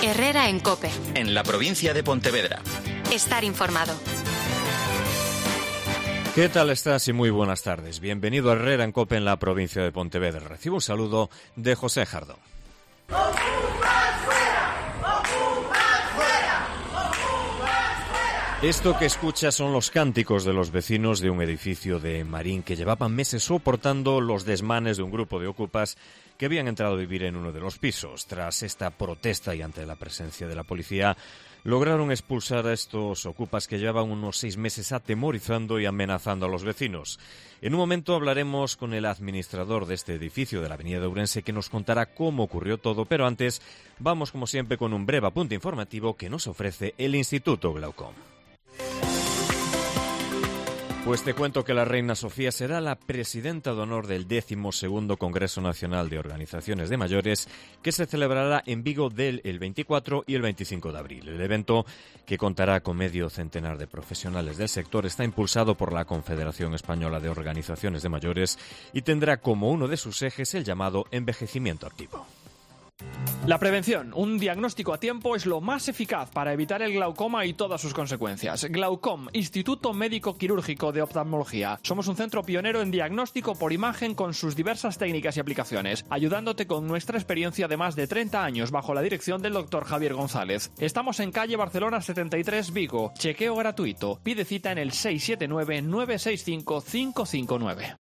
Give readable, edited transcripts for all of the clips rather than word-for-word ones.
Herrera en COPE. En la provincia de Pontevedra. Estar informado. ¿Qué tal estás? Y muy buenas tardes. Bienvenido a Herrera en COPE en la provincia de Pontevedra. Recibo un saludo de José Jardón. Esto que escuchas son los cánticos de los vecinos de un edificio de Marín que llevaban meses soportando los desmanes de un grupo de ocupas que habían entrado a vivir en uno de los pisos. Tras esta protesta y ante la presencia de la policía, lograron expulsar a estos ocupas que llevaban unos 6 meses atemorizando y amenazando a los vecinos. En un momento hablaremos con el administrador de este edificio de la avenida de Ourense que nos contará cómo ocurrió todo, pero antes vamos como siempre con un breve apunte informativo que nos ofrece el Instituto Glaucom. Pues te cuento que la reina Sofía será la presidenta de honor del 12º Congreso Nacional de Organizaciones de Mayores, que se celebrará en Vigo el 24 y el 25 de abril. El evento, que contará con medio centenar de profesionales del sector, está impulsado por la Confederación Española de Organizaciones de Mayores y tendrá como uno de sus ejes el llamado envejecimiento activo. La prevención, un diagnóstico a tiempo, es lo más eficaz para evitar el glaucoma y todas sus consecuencias. Glaucom, Instituto Médico Quirúrgico de Oftalmología. Somos un centro pionero en diagnóstico por imagen con sus diversas técnicas y aplicaciones, ayudándote con nuestra experiencia de más de 30 años bajo la dirección del Dr. Javier González. Estamos en calle Barcelona 73, Vigo. Chequeo gratuito. Pide cita en el 679-965-559.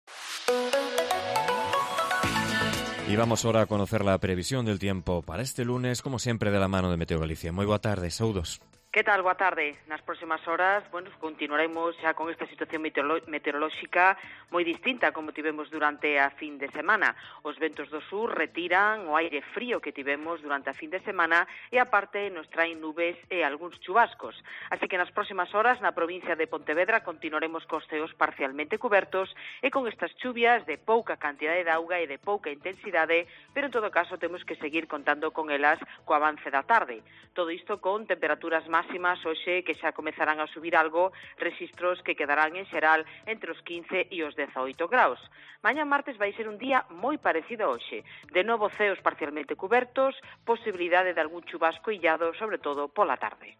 Y vamos ahora a conocer la previsión del tiempo para este lunes, como siempre, de la mano de Meteo Galicia. Moi boa tarde, saúdos. Que tal? Boa tarde. Nas próximas horas, continuaremos xa con esta situación meteorolóxica moi distinta como tivemos durante a fin de semana. Os ventos do sur retiran o aire frío que tivemos durante a fin de semana e aparte nos traen nubes e algúns chubascos. Así que nas próximas horas na provincia de Pontevedra continuaremos cos ceos parcialmente cubertos e con estas chuvias de pouca cantidade de auga e de pouca intensidade, pero en todo caso temos que seguir contando con elas co avance da tarde. Todo isto con temperaturas máximas hoxe que xa comezarán a subir algo, rexistros que quedarán en xeral entre os 15 e os 18 graus. Mañá martes vai ser un día moi parecido a hoxe. De novo ceos parcialmente cubertos, posibilidade de algún chubasco illado, sobre todo pola tarde.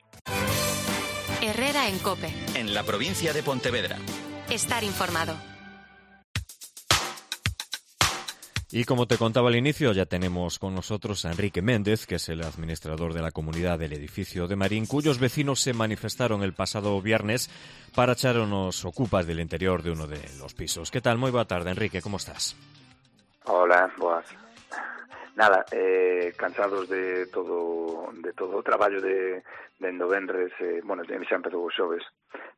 Herrera en COPE. En la provincia de Pontevedra. Estar informado. Y como te contaba al inicio, ya tenemos con nosotros a Enrique Méndez, que es el administrador de la comunidad del edificio de Marín, cuyos vecinos se manifestaron el pasado viernes para echar unos ocupas del interior de uno de los pisos. ¿Qué tal? Muy buena tarde, Enrique, ¿cómo estás? Hola, boas. Nada, cansados de todo o traballo de novenres, xa empezou os xoves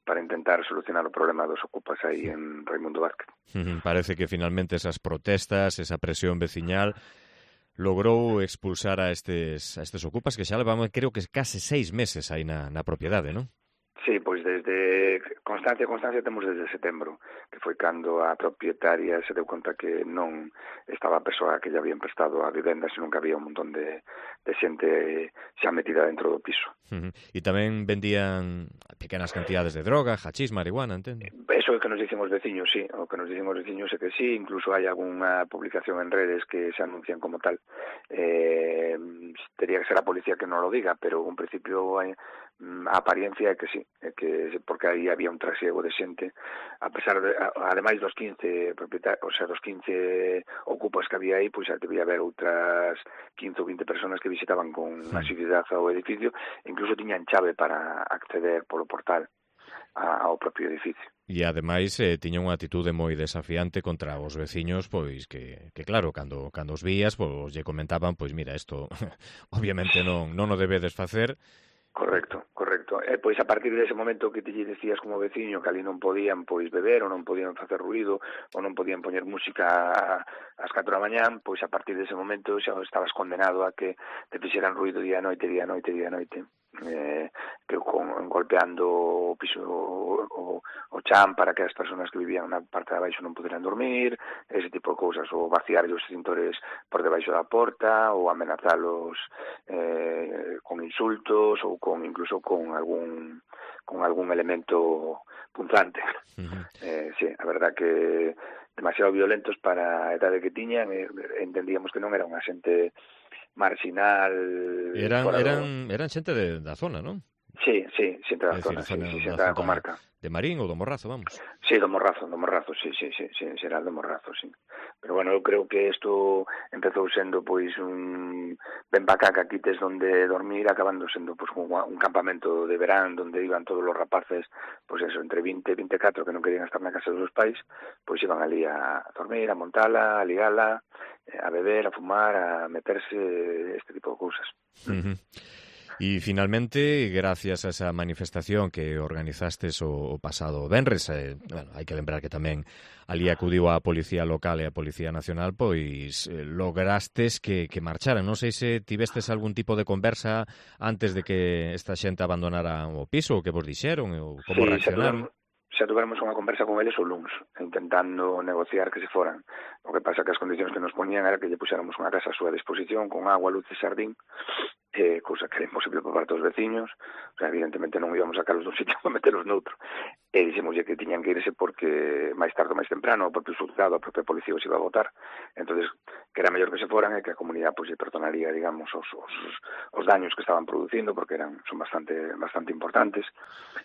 para intentar solucionar o problema dos ocupas aí en Raimundo Vázquez. Parece que finalmente esas protestas, esa presión veciñal logrou expulsar a estes ocupas que xa levamos, creo que case 6 meses aí na propiedade, non? Sí, pois desde constancia temos desde setembro, que foi cando a propietaria se deu conta que non estaba a persoa que lle habían prestado a vivenda, senón que había un montón de xente xa metida dentro do piso. E tamén vendían pequenas cantidades de droga, hachís, marihuana, entendo? Eso é o que nos dicen os veciños, sí. O que nos dicen os veciños é que sí, incluso hai algunha publicación en redes que se anuncian como tal. Tería que ser a policía que non lo diga, pero en principio a apariencia é que sí, é que porque aí había un trasiego de xente, a pesar de, ademais dos 15 propietarios, o sea, dos 15 ocupas que había aí, pois xa debía haber outras 15 ou 20 personas que visitaban con asiduidade ao edificio, incluso tiñan chave para acceder polo portal ao propio edificio. E ademais tiña unha atitude moi desafiante contra os veciños, pois que claro, cando os vías, pois lle comentaban, pois mira, isto obviamente non o debedes facer. Correcto. Pois a partir dese momento que te decías como veciño que ali non podían pois beber ou non podían facer ruido ou non podían poñer música ás 4 da mañán, pois a partir dese momento xa estabas condenado a que te fixeran ruido día a noite, que golpeando o piso o chan para que as persoas que vivían na parte de abaixo non puderan dormir, ese tipo de cousas, ou vaciar os extintores por debaixo da porta, ou amenazalos con insultos ou incluso con algún elemento punzante. Sí, a verdad que demasiado violentos para a idade que tiñan, e entendíamos que non era unha xente marginal. Eran xente da zona, non? Sí, xente da zona, xente da comarca. De Marín ou do Morrazo, vamos. Sí, do Morrazo, sí, será do Morrazo, sí. Pero bueno, eu creo que isto empezou sendo pois un ben bacaca quites donde dormir, acabando sendo pois un campamento de verán donde iban todos os rapaces, pois eso, entre 20 e 24 que non querían estar na casa dos pais, pois iban ali a dormir, a montala, a ligala, a beber, a fumar, a meterse, este tipo de cousas. E finalmente, gracias a esa manifestación que organizastes o pasado venres, bueno, hai que lembrar que tamén ali acudiu a Policía Local e a Policía Nacional, pois lograstes que marcharan. Non sei se tivestes algún tipo de conversa antes de que esta xente abandonara o piso, o que vos dixeron, ou como reaccionaron. Xa tuvermos unha conversa con eles o luns, intentando negociar que se foran. O que pasa que as condicións que nos poñían era que lle puxéramos unha casa a súa disposición con agua, luz e xardín, cousa que era imposible por parte dos veciños. O sea, evidentemente non íbamos a sacarlos dun sitio para meterlos noutro. E dixemoslle que tiñan que irse porque máis tarde ou máis temprano o propio xulgado, a propia policía os iba a votar. Entonces, que era mellor que se foran e que a comunidade pois lle perdonaría, digamos, os daños que estaban producindo, porque son bastante importantes.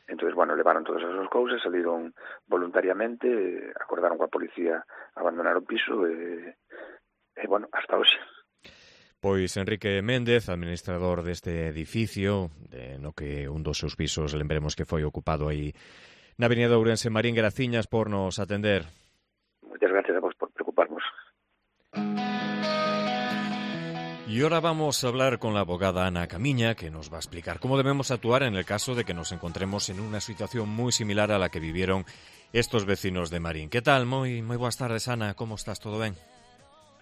Entonces, bueno, levaron todas esas cousas, saliron voluntariamente, acordaron coa policía abandonar o piso e bueno, hasta hoxe. Pois Enrique Méndez, administrador deste edificio, no que un dos seus pisos, lembremos que foi ocupado aí na Avenida Ourense. Marín, graciñas por nos atender. Moitas gracias a vos por preocuparnos. Y ahora vamos a hablar con la abogada Ana Camiña, que nos va a explicar cómo debemos actuar en el caso de que nos encontremos en una situación muy similar a la que vivieron estos vecinos de Marín. ¿Qué tal? Moi boas tardes, Ana. ¿Cómo estás? ¿Todo ben?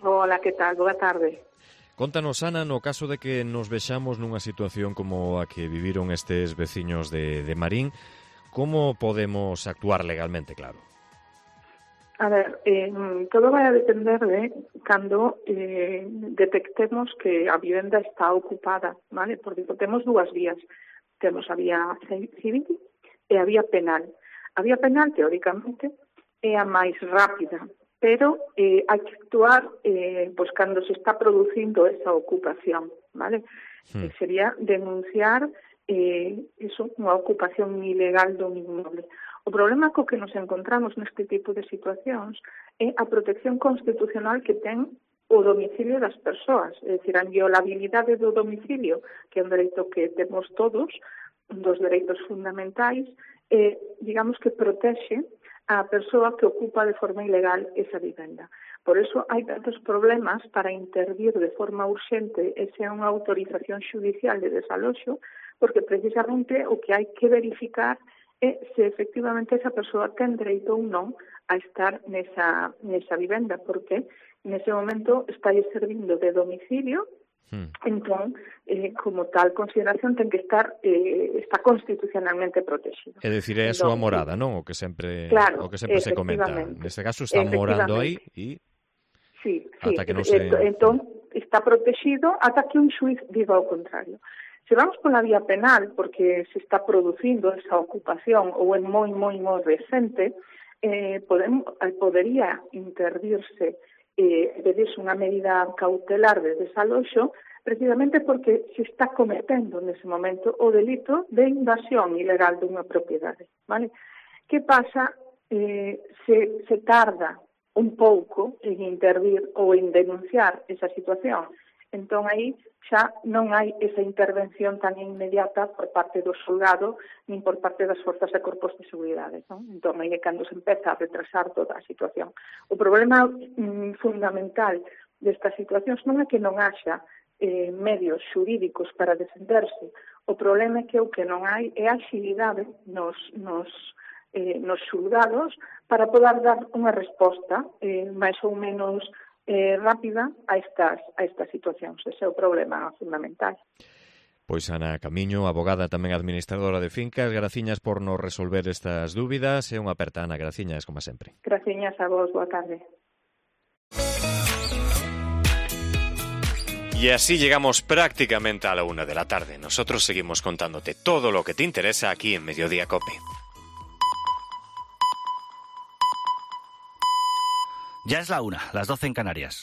Hola, que tal? Boa tarde. Contanos, Ana, no caso de que nos vexamos nunha situación como a que viviron estes veciños de Marín, como podemos actuar legalmente, claro? A ver, todo vai a depender de cando detectemos que a vivenda está ocupada, vale? Porque temos dúas vías. Temos a vía civil e a vía penal. A vía penal, teóricamente, é a máis rápida, pero hai que actuar pois cando se está producindo esa ocupación, vale? Sería denunciar unha ocupación ilegal dun inmueble. O problema co que nos encontramos neste tipo de situacións é a protección constitucional que ten o domicilio das persoas, é dicir, a inviolabilidade do domicilio, que é un dereito que temos todos, un dos dereitos fundamentais, digamos que protexe a persoa que ocupa de forma ilegal esa vivenda. Por eso hai tantos problemas para intervir de forma urxente e sea unha autorización xudicial de desaloxo, porque precisamente o que hai que verificar é se efectivamente esa persoa ten dereito ou non a estar nesa vivenda, porque nese momento está servindo de domicilio. Entón, como tal consideración ten que estar está constitucionalmente protegido. É dicir, é a súa morada, non? O que sempre se comenta. Neste caso está morando aí e sí, ata que non se... Entón, está protegido ata que un xuiz diga o contrario. Se vamos pola vía penal, porque se está producindo esa ocupación ou é moi recente, podería intervirse pedirse unha medida cautelar de desaloxo precisamente porque se está cometendo nese momento o delito de invasión ilegal dunha propiedade, vale? Que pasa se tarda un pouco en intervir ou en denunciar esa situación? Entón aí xa non hai esa intervención tan inmediata por parte do xulgado nin por parte das forzas e corpos de seguridade, non? Entón aí é cando se empeza a retrasar toda a situación. O problema fundamental destas situacións non é que non haxa medios xurídicos para defenderse. O problema é que o que non hai é agilidade nos xulgados para poder dar unha resposta máis ou menos rápida a estas situacións. Ese é o problema fundamental. Pois Ana Camiño, abogada tamén administradora de fincas, graciñas por nos resolver estas dúbidas e unha aperta, Ana, graciñas como sempre. Graciñas a vos, boa tarde. Y así llegamos prácticamente a la 1 de la tarde. Nosotros seguimos contándote todo lo que te interesa aquí en Mediodía COPE. Ya es la 1, las 12 en Canarias.